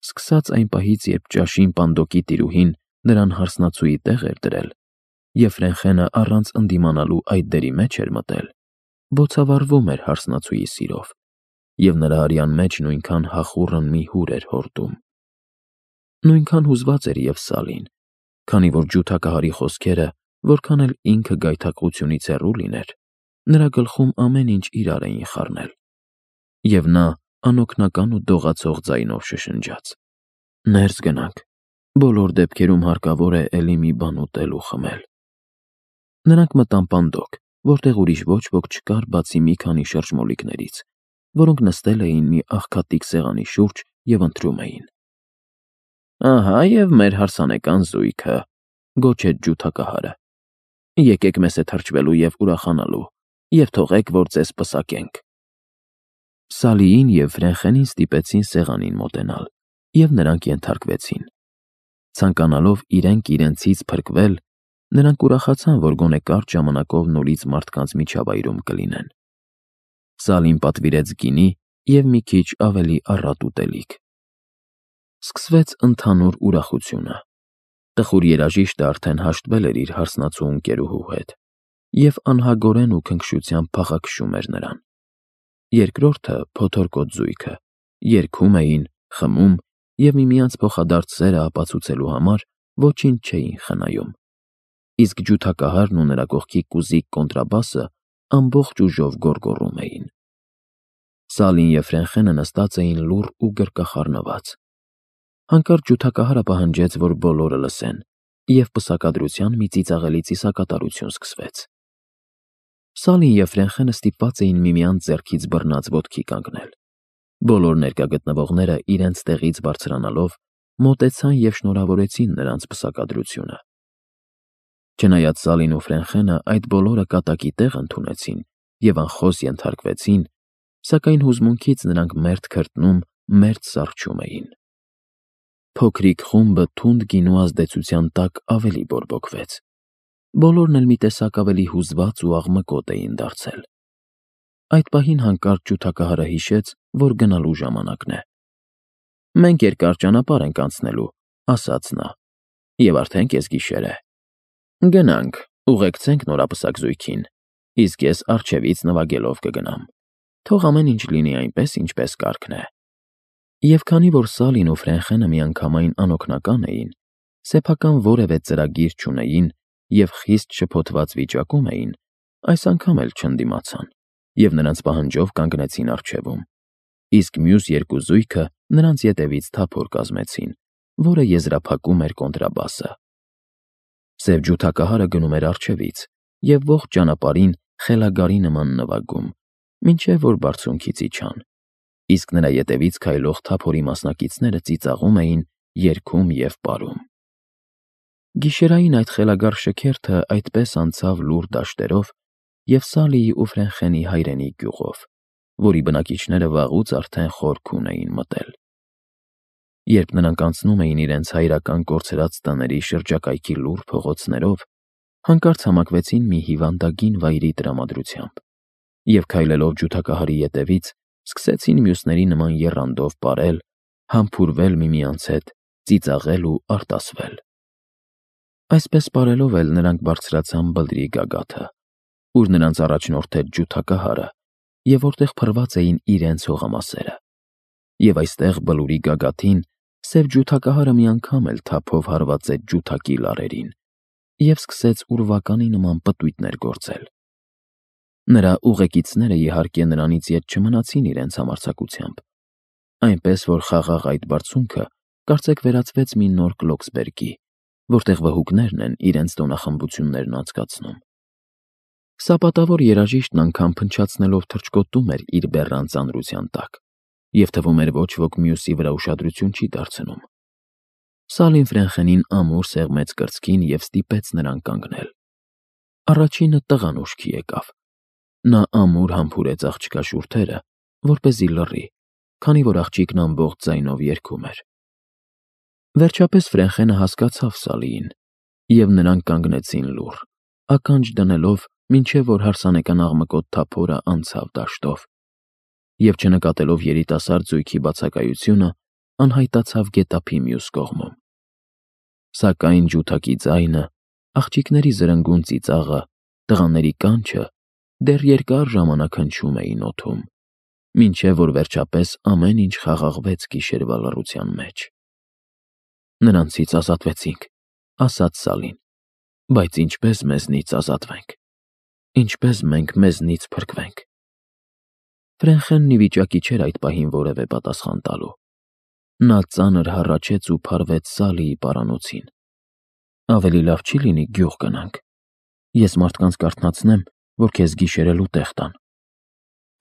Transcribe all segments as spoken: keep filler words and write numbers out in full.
Սկսած այն պահից, երբ ճաշին Պանդոկի տիրուհին նրան հարսնացուի տեղ էր դրել, և Ֆրենխենը առանց ընդդիմանալու այդ դերի մեջ էր մտել, բոցավառվում էր հարսնացուի սիրով, և նրա արյան մեջ նույնքան հախուռն մի հուր էր հորդում։ Նույնքան հուզված էր և Սալին, քանի որ ջութակահարի խոսքերը, որքան էլ ինքը գայթակղությունից հեռու լիներ, նրա գլխում ամեն ինչ իրար էին խառնել, և նա անօգնական ու դողացող ձայնով շշնջաց. «Ներս գնանք, բոլոր դեպքերում հարկավոր է էլի մի բան ուտել ու խմել»։ Նրանք մտան Պանդոկ, որտեղ ուրիշ ոչ ոք չկար բացի մի քանի շրջմոլիկներից, որոնք նստել էին մի աղքատիկ սեղանի շուրջ և ընթրում էին։ «Ահա և մեր հարսանեկան զույգը», գոչեց ջութակահարը։ «Եկեք մեզ հետ հրճվելու և ուրախանալու, և թողեք, որ ձեզ պսակենք»։ Սալիին և Ֆրենխենին ստիպեցին սեղանին մոտենալ, և նրանք ենթարկվեցին։ Ցանկանալով իրենք իրենցից փրկվել, նրանք ուրախացան, որ գոնե կարճ ժամանակով նորից մարդկանց միջավայրում կլինեն։ Սալին պատվիրեց գինի և մի քիչ ավելի առատ ուտելիք։ Սկսվեց ընդհանուր ուրախությունը։ Տխուր երաժիշտը արդեն հաշտվել էր իր հարսնացու ընկերուհու հետ և անհագորեն ու քնքշությամբ փախաքշում էր նրան։ Երկրորդը՝ փոթորկոտ զույգը, երգում էին, խմում և միմյանց փոխադարձ սերը ապացուցելու համար ոչինչ չէին խնայում, իսկ ջութակահարն ու նրա կողքի կուզիկ կոնտրաբասը ամբողջ ուժով գոռգոռում էին։ Սալին և Ֆրենխենը նստած էին լուռ ու գրկախառնված։ Հանկարծ ջութակահարը պահանջեց, որ բոլորը լսեն, և պսակադրության մի ծիծաղելի ծիսակատարություն սկսվեց։ Սալին և Ֆրենխենը ստիպված էին միմյանց ձեռքից բռնած ոտքի կանգնել։ Բոլոր ներկա գտնվողները իրենց տեղից բարձրանալով մոտեցան և շնորհավորեցին նրանց պսակադրությունը։ Չնայած Սալին ու Ֆրենխենը այդ բոլորը կատակի տեղ ընդունեցին և անխոս ենթարկվեցին, սակայն հուզմունքից նրանք մերթ քրտնում, մերթ սառչում էին։ Փոքրիկ խումբը թունդ գինու ազդեցության տակ ավելի բորբոքվեց։ Բոլորն էլ մի տեսակ ավելի հուզված ու աղմկոտ էին դարձել։ Այդ պահին հանկարծ ջութակահարը հիշեց, որ գնալու ժամանակն է։ «Մենք երկար ճանապարհ ենք անցնելու», ասաց նա, «և արդեն կեսգիշեր է։ Գնանք, ուղեկցենք նորապսակ զույգին, իսկ ես առջևից նվագելով կգնամ։ Թող ամեն ինչ լինի այնպես, ինչպես կարգն է»։ Եվ քանի որ Սալին ու Ֆրենխենը միանգամայն անօգնական էին, սեփական որևէ ծրագիր չունեին և խիստ շփոթված վիճակում էին, այս անգամ էլ չընդդիմացան և նրանց պահանջով կանգնեցին առջևում, իսկ մյուս երկու զույգը նրանց ետևից թափոր կազմեցին, որը եզրափակում էր կոնտրաբասը։ Սև ջութակահարը գնում էր առջևից և ողջ ճանապարհին խելագարի նման նվագում, մինչև որ բարձունքից իջան, իսկ նրա ետևից քայլող թափորի մասնակիցները ծիծաղում էին, երգում և պարում։ Գիշերային այդ խելագար շքերթը այդպես անցավ լուռ դաշտերով և Սալիի ու Ֆրենխենի հայրենի գյուղով, որի բնակիչները վաղուց արդեն խորք ունեին մտել։ Երբ նրանք անցնում էին իրենց հայրական կորցրած տների շրջակայքի լուռ փողոցներով, հանկարծ համակվեցին մի հիվանդագին վայրի տրամադրությամբ և, քայլելով ջութակահարի ետևից, սկսեցին մյուսների նման եռանդով պարել, համբուրվել միմյանց հետ, ծիծաղել ու արտասվել։ Այսպես պարելով էլ նրանք բարձրացան բլրի գագաթը, ուր նրանց առաջնորդեց ջութակահարը և որտեղ փռված էին իրենց հողամասերը, և այստեղ Բլուրի գագաթին սև ջութակահարը մի անգամ էլ թափով հարվածեց ջութակի լարերին և սկսեց ուրվականի նման պտույտներ գործել։ Նրա ուղեկիցները, իհարկե, նրանից ետ չմնացին իրենց համարձակությամբ, այնպես որ խաղաղ այդ բարձունքը կարծեք վերածվեց մի նոր Կլոքսբերգի, որտեղ վհուկներն են իրենց տոնախմբություններն անցկացնում։ Սապատավոր երաժիշտն անգամ փնչացնելով թռչկոտում էր իր բեռան ծանրության տակ, և թվում էր ոչ ոք մյուսի վրա ուշադրություն չի դարձնում։ Սալին Ֆրենխենին ամուր սեղմեց կրծքին և ստիպեց նրան կանգնել։ Առաջինը տղան ուշքի եկավ։ Նա ամուր համբուրեց աղջկա շուրթերը, որպեսզի լռի, քանի որ աղջիկն ամբողջ ձայնով երգում էր։ Վերջապես Ֆրենխենը հասկացավ Սալիին, և նրանք կանգնեցին լուռ, ականջ դնելով, մինչև որ հարսանեկան աղմկոտ թափորը անցավ դաշտով, և չնկատելով երիտասարդ զույգի բացակայությունը, անհայտացավ գետափի մյուս կողմում։ Սակայն ջութակի ձայնը, աղջիկների զրնգուն ծիծաղը, տղաների կանչը դեռ երկար ժամանակ հնչում էին օդում, մինչև որ վերջապես ամեն ինչ խաղաղվեց գիշերվա լռության մեջ։ Նրանցից ազատվեցինք, ասաց Սալին, բայց ինչպես մեզնից ազատվենք, ինչպես մենք մեզնից փրկվենք։ Ֆրենխենն ի վիճակի չէր այդ պահին որևէ պատասխան տալու։ Նա ծանր հառաչեց ու փարվեց Սալիի պարանոցին։ Ավելի լավ չի լինի գյուղ գնանք։ Ես մարդկանց կարթնացնեմ, որ քեզ գիշերելու տեղ տան։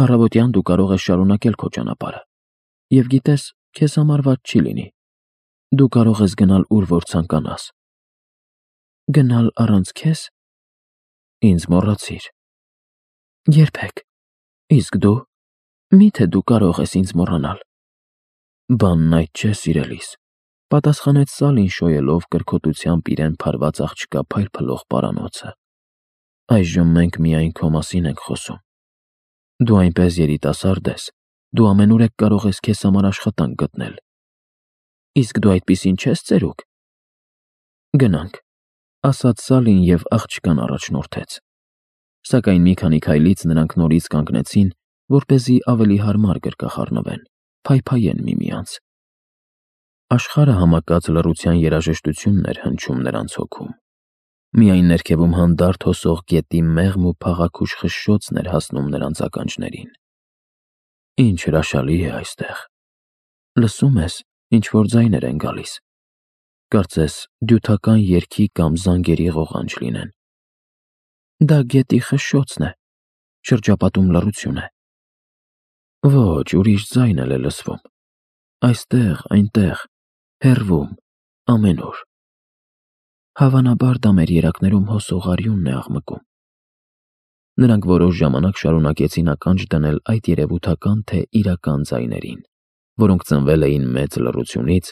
Առավոտյան դու կարող ես շարունակել քո ճանապարհը։ Եվ գիտես, քեզ համար վատ չի լինի։ Դու կարող ես գնալ ուր որ ցանկանաս։ Գնալ առանց քեզ։ Ինձ մոռացիր։ Երբեք։ Իսկ դու։ Միթե դու կարող ես ինձ մոռանալ։ Բանն այդ չէ, սիրելիս, պատասխանեց Սալին շոյելով կրքոտությամբ իրեն փարված աղջկա փայլփլող պարանոցը։ Այժմ մենք միայն քո մասին ենք խոսում։ Դու այնպես երիտասարդ ես, դու ամենուրեք կարող ես քեզ համար աշխատանք գտնել։ Իսկ դու այդպիսին չես ծերուկ։ Գնանք, ասաց Սալին և աղջկան առաջնորդեց։ Սակայն մի քանի քայլից նրանք նորից կանգնեցին, որպեսզի ավելի հարմար գրկախառնվեն, փայփայեն միմյանց։ Աշխարհը համակած լռության երաժշտությունն էր հնչում նրանց հոգում։ Միայն ներքևում հանդարտ հոսող գետի մեղմ ու փաղաքուշ խշշոցն էր հասնում նրանց ականջներին։ Ինչ հրաշալի է այստեղ։ Լսում ես, ինչ-որ ձայներ են գալիս։ Կարծես դյութական երգի կամ զանգերի ղողանջ լինեն։ Դա գետի խշշոցն է, շրջապատում լռություն է։ Ոչ, ուրիշ ձայն էլ է լսվում։ Այստեղ, այնտեղ, հեռվում, ամենուր։ Հավանաբար դա մեր երակներում հոսող արյունն է աղմկում։ Նրանք որոշ ժամանակ շարունակեցին ականջ դնել այդ երևութական թե իրական ձայներին, որոնք ծնվել էին մեծ լռությունից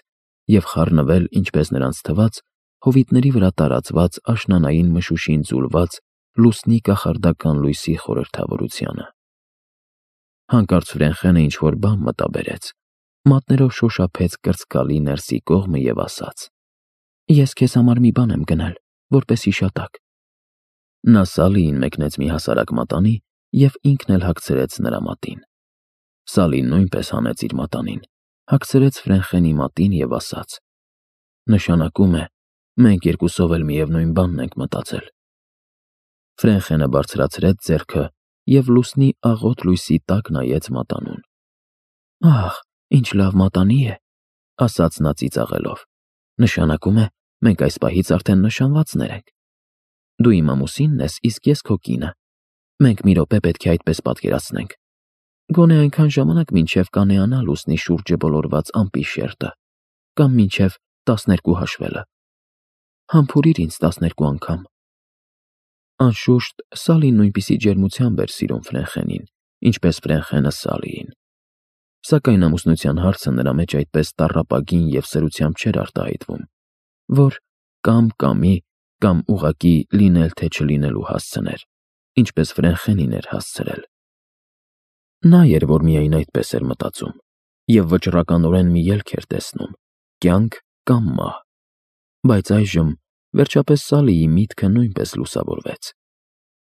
և խառնվել, ինչպես նրանց թվաց, հովիտների վրա տարածված աշնանային մշուշին ձուլված լուսնի կախարդական լույսի խորհրդավորությանը։ Հանկարծ Ֆրենխենը ինչ-որ բան մտաբերեց, մատներով շոշափեց կրծքալի ներսի կողմը և ասաց. Ես քեզ համար մի բան եմ գնել, որպես հիշատակ։ Նա Սալիին մեկնեց մի հասարակ մատանի և ինքն էլ հագցրեց նրա մատին։ Սալին նույնպես հանեց իր մատանին, հագցրեց Ֆրենխենի մատին և ասաց. Նշանակում է, մենք երկուսով էլ միևնույն բանն ենք մտածել։ Ֆրենխենը բարձրացրեց ձեռքը և լուսնի աղոտ լույսի տակ նայեց մատանուն։ Ահ, ինչ լավ մատանի է, ասաց նա ծիծաղելով։ Նշանակում է, մենք այս պահից արդեն նշանվածներ ենք։ Դու իմ ամուսինն ես, իսկ ես քո կինը։ Մենք մի րոպե պետք է այդպես պատկերացնենք։ Գոնե այնքան ժամանակ, մինչև կանեանա լուսնի շուրջը բոլորված ամպի շերտը, կամ մինչև տասներկու հաշվելը։ Համբուրիր ինձ տասներկու անգամ։ Անշուշտ, Սալին նույնպիսի ջերմությամբ էր սիրում Ֆրենխենին, ինչպես Ֆրենխենը Սալիին։ Սակայն ամուսնության հարցը նրա մեջ այդպես տառապագին և սրությամբ չէր արտահայտվում, որ կամ կամի, կամ ուղղակի լինել թե չլինելու հասցներ, ինչպես Ֆրենխենին էր հասցրել։ Նա էր, որ միայն այդպես էր մտածում, և վճռականորեն մի ելք էր տեսնում՝ կյանք կամ մահ։ Բայց այժմ, վերջապես Սալիի միտքը նույնպես լուսավորվեց։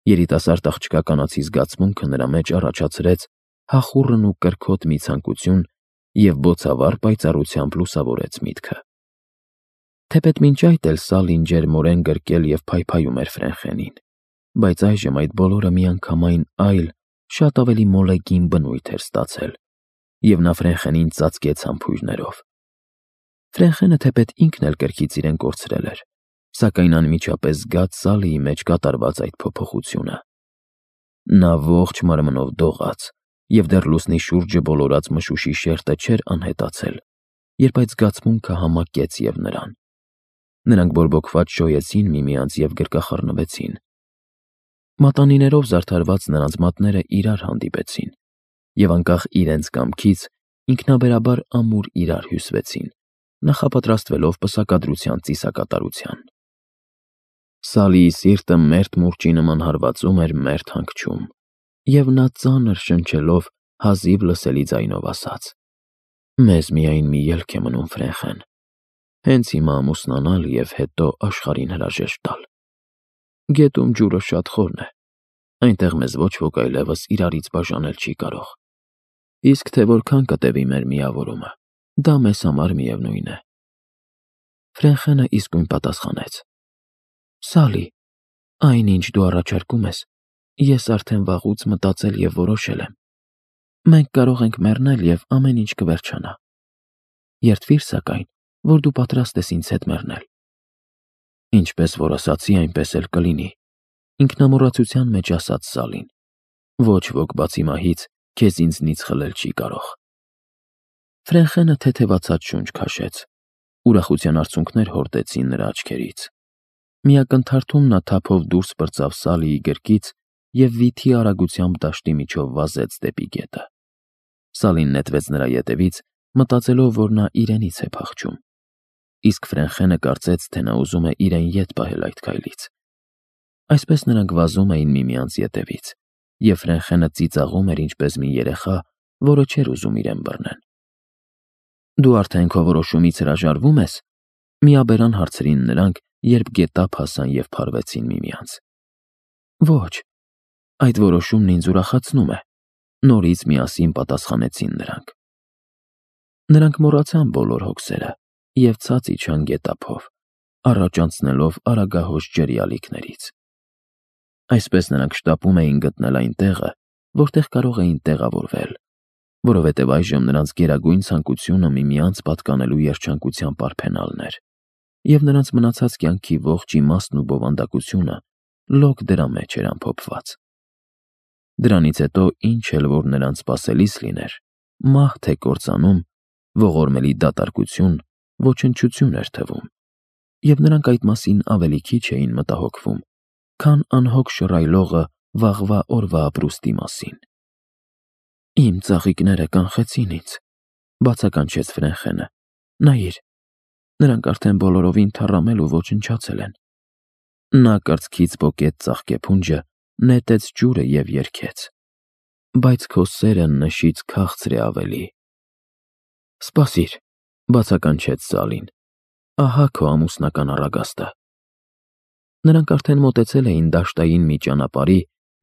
Երիտասարդ աղջկա կանացի զգացմունքը նրա մեջ առաջացրեց հախուռն ու կրքոտ մի ցանկություն և բոցավառ պայծառությամբ լուսավորեց միտքը։ Թեպետ մինչ այդ էլ Սալին ջերմորեն գրկել և փայփայում էր Ֆրենխենին, բայց այժմ այդ բոլորը միանգամայն այլ, շատ ավելի մոլեգին բնույթ էր ստացել, և նա Ֆրենխենին ծածկեց համբույրներով։ Ֆրենխենը թեպետ ինքն էլ կրքից իրեն կորցրել էր, սակայն անմիջապես զգաց Սալիի մեջ կատարված այդ փոփոխությունը։ Նա ողջ մարմնով դողաց, և դեռ լուսնի շուրջը բոլորած մշուշի շերտը չէր անհետացել, երբ այդ զգացմունքը համակեց և նրան։ Նրանք բորբոքված շոյեցին միմյանց և գրկախառնվեցին։ Մատանիներով զարդարված նրանց մատները իրար հանդիպեցին, և անկախ իրենց կամքից ինքնաբերաբար ամուր իրար հյուսվեցին, նախապատրաստվելով պսակադրության ծիսակատարության։ Սալիի սիրտը մերթ մուրճի նման հարվածում էր մերթ հանգչում, և նա ծանր շնչելով հազիվ լսելի ձայնով ասաց. Մեզ միայն մի ելք է մնում, Ֆրենխեն, հենց հիմա ամուսնանալ և հետո աշխարհին հրաժեշտ տալ։ Գետում ջուրը շատ խորն է, այնտեղ մեզ ոչ ոք այլևս իրարից բաժանել չի կարող։ Իսկ թե որքան կտևի մեր միավորումը, դա մեզ համար միևնույն է։ Ֆրենխենը իսկույն պատասխանեց. Սալի, այն, ինչ դու առաջարկում ես, ես արդեն վաղուց մտածել և որոշել եմ։ Մենք կարող ենք մեռնել և ամեն ինչ կվերջանա։ Երդվիր, սակայն, որ դու պատրաստ ես ինձ հետ մեռնել։ Ինչպես որ ասացի, այնպես էլ կլինի, ինքնամոռացության մեջ ասաց Սալին։ Ոչ ոք բացի մահից քեզ ինձնից խլել չի կարող։ Ֆրենխենը թեթևացած շունչ քաշեց։ Ուրախության արցունքներ հորդեցին նրա աչքերից։ Մի ակնթարթում նա թափով դուրս պրծավ Սալիի գրկից և վիթի արագությամբ դաշտի միջով վազեց դեպի գետը։ Սալին նետվեց նրա ետևից, մտածելով, որ նա իրենից է փախչում։ Իսկ Ֆրենխենը կարծեց, թե նա ուզում է իրեն ետ պահել այդ քայլից։ Այսպես նրանք վազում էին միմյանց ետևից, և Ֆրենխենը ծիծաղում էր ինչպես մի երեխա, որը չէր ուզում իրեն բռնեն։ Դու արդեն քո որոշումից հրաժարվո՞ւմ ես, միաբերան հարցրին նրանք, երբ գետափ հասան և փարվեցին միմյանց։ Ոչ, այդ որոշումն ինձ ուրախացնում է, նորից միասին պատասխանեցին նրանք։ Նրանք մոռացան բոլոր հոգսերը և ցած իջան գետափով, առաջ անցնելով արագահոս ջրի ալիքներից։ Այսպես նրանք շտապում էին գտնել այն տեղը, որտեղ կարող էին տեղավորվել, որովհետև այժմ նրանց գերագույն ցանկությունը միմյանց պատկանելու երջանկության պարփենալն էր, և նրանց մնացած կյանքի ողջ իմաստն ու բովանդակությունը լոկ դրա մեջ էր ամփոփված։ Դրանից հետո ինչ էլ որ նրանց սպասելիս լիներ, մահ թե կործանում, ողորմելի դատարկություն, ոչնչություն էր թվում, և նրանք այդ մասին ավելի քիչ էին մտահոգվում, քան անհոգ շռայլողը վաղվա օրվա ապրուստի մասին։ Իմ ծաղիկները կանխեցին ինձ, բացականչեց Ֆրենխենը։ Նայիր, նրանք արդեն բոլորովին թառամել ու ոչնչացել են։ Նա կրծքից պոկեց ծաղկեփունջը, նետեց ջուրը և երգեց. Բայց քո սերը նշից քաղցր է ավելի։ Սպասիր, բացականչեց Սալին, ահա քո ամուսնական առագաստը։ Նրանք արդեն մոտեցել էին դաշտային մի ճանապարհի,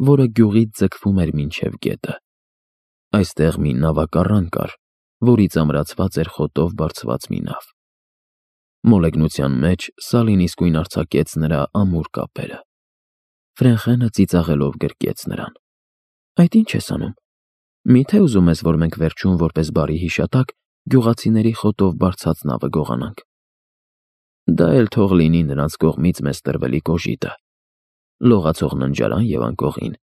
որը գյուղից ձգվում էր մինչև գետը։ Այստեղ մի նավակառան կար, որից ամրացված էր խոտով բարձված մի նավ։ Մոլեգնության մեջ Սալին իսկույն արձակեց նրա ամուր կապերը։ Ֆրենխենը ծիծաղելով գրկեց նրան։ Այդ ի՞նչ ես անում։ Մի՞թե ուզում ես, որ մենք վերջում որպես բարի հիշատակ գյուղացիների խոտով բարձած նավը գողանանք։ Դա էլ թող լինի նրանց կողմից մեզ տրվելի կոժիտը, լողացող ննջարան և անկողին,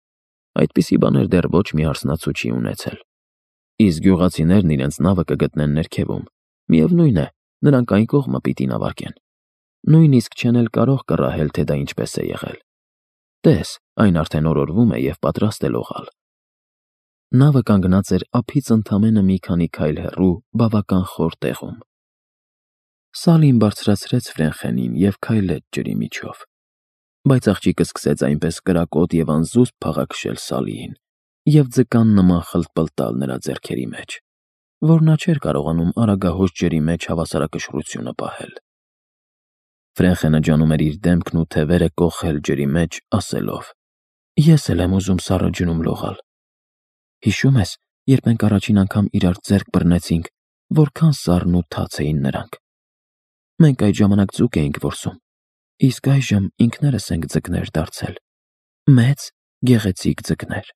այդպիսի բաներ դեռ ոչ մի հարսնացու չի ունեցել։ Իսկ գյուղացիներն իրենց նավը կգտնեն ներքևում, միևնույն է, նրանք այն կողմը պիտի նավարկեն։ Նույնիսկ չեն էլ կարող կռահել, թե դա ինչպես է եղել։ Տես, այն արդեն օրորվում է և պատրաստ է լողալ։ Նավը կանգնած էր ափից ընդամենը մի քանի քայլ հեռու բավական խոր տեղում։ Սալին բարձրացրեց Ֆրենխենին և քայլեց ջրի միջով, բայց աղջիկը սկսեց այնպես կրակոտ և անզուսպ փաղաքշել Սալիին և ձկան նման խլտպլտալ նրա ձեռքերի մեջ, որ նա չէր կարողանում արագահոս ջրի մեջ հավասարակշռությունը պահել։ Ֆրենխենը ջանում էր իր դեմքն ու թևերը կոխել ջրի մեջ, ասելով. Ես էլ եմ ուզում սառը ջնում լողալ։ Հիշո՞ւմ ես, երբ մենք առաջին անգամ իրար ձեռք բռնեցինք, որքան սառն ու թաց էին նրանք։ Մենք այդ ժամանակ ձուկ էինք որսում, իսկ այժմ ինքներս ենք ձկներ դարձել։ Մեծ, գեղեցիկ ձկներ։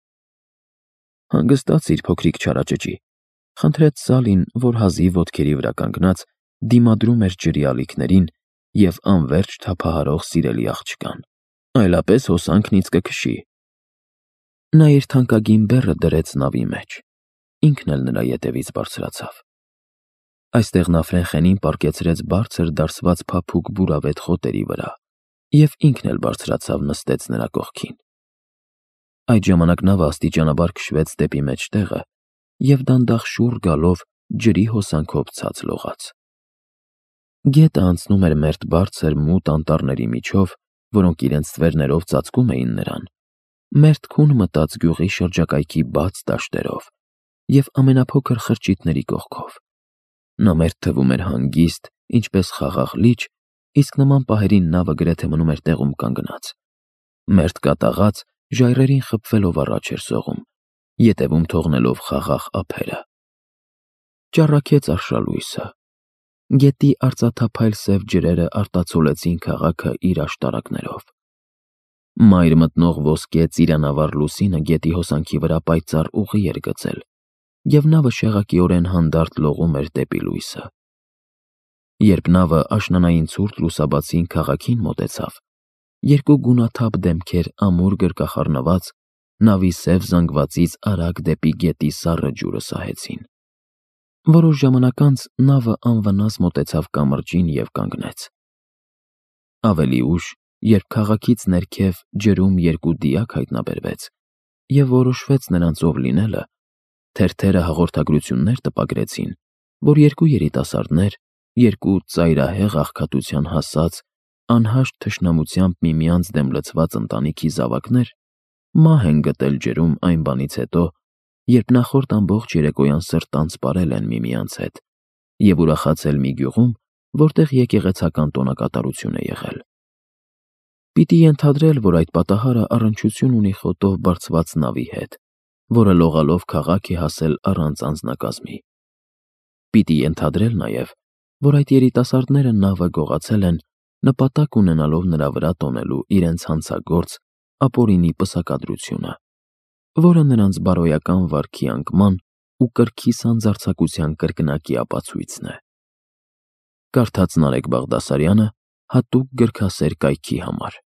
Հանգստացիր, փոքրիկ չարաճճի, խնդրեց Սալին, որ հազիվ ոտքերի վրա կանգնած դիմադրում էր ջրի ալիքներին և անվերջ թափահարող սիրելի աղջկան, այլապես հոսանքն ինձ կքշի։ Նա իր թանկագին բեռը դրեց նավի մեջ, ինքն էլ նրա ետևից բարձրացավ։ Այստեղ նա Ֆրենխենին պառկեցրեց բարձր դարսված փափուկ բուրավետ խոտերի վրա և ինքն էլ բարձրացավ նստեց նրա կողքին։ Այդ ժամանակ նավը աստիճանաբար քշվեց դեպի մեջտեղը և դանդաղ շուռ գալով ջրի հոսանքով ցած լողաց։ Գետը անցնում էր մերթ բարձր մութ անտառների միջով, որոնք իրենց ստվերներով ծածկում էին նրան, մերթ քուն մտած գյուղի շրջակայքի բաց դաշտերով և ամենափոքր խրճիթների կողքով, Նա մերթ թվում էր հանգիստ, ինչպես խաղաղ լիճ, իսկ նման պահերին նավը գրեթե մնում էր տեղում կանգնած։ Մերթ կատաղած, ժայռերին խփվելով առաջ էր սողում, ետևում թողնելով խաղաղ ափերը։ Ճառագեց արշալույսը։ Գետի արծաթափայլ սև ջրերը արտացոլեցին քաղաքը իր աշտարակներով։ Մայր մտնող ոսկե ծիրանավառ լուսինը գետի հոսանքի վրա պայծառ ուղի էր գծել, և նավը շեղակիորեն հանդարտ լողում էր դեպի լույսը։ Երբ նավը աշնանային ցուրտ լուսաբացին քաղաքին մոտեցավ, երկու գունաթափ դեմքեր ամուր գրկախառնված նավի սև զանգվածից արագ դեպի գետի սառը ջուրը սահեցին։ Որոշ ժամանակ անց նավը անվնաս մոտեցավ կամրջին և կանգնեց։ Ավելի ուշ, երբ քաղաքից ներքև ջրում երկու դիակ հայտնաբերվեց և որոշվեց նրանց ով լինելը, թերթերը հաղորդագրություններ տպագրեցին, որ երկու երիտասարդներ, երկու ծայրահեղ աղքատության հասած, անհաշտ թշնամությամբ միմյանց դեմ լցված ընտանիքի զավակներ, մահ են գտել ջրում այն բանից հետո, երբ նախորդ ամբողջ երեկոյան սրտանց պարել են միմյանց հետ և ուրախացել մի գյուղում, որտեղ եկեղեցական տոնակատարություն է եղել։ Պիտի ենթադրել, որ այդ պատահարը առնչություն ունի խոտով բարձված նավի հետ, որը լողալով քաղաք է հասել առանց անձնակազմի։ Պիտի ենթադրել նաև, որ այդ երիտասարդները նավը գողացել են, նպատակ ունենալով նրա վրա տոնելու իրենց հանցագործ ապօրինի պսակադրությունը, որը նրանց բարոյական վարքի անկման ու կրքի սանձարձակության կրկնակի ապացույցն է։ Կարդաց Նարեկ Բաղդասարյանը հատուկ գրքասեր կայքի համար։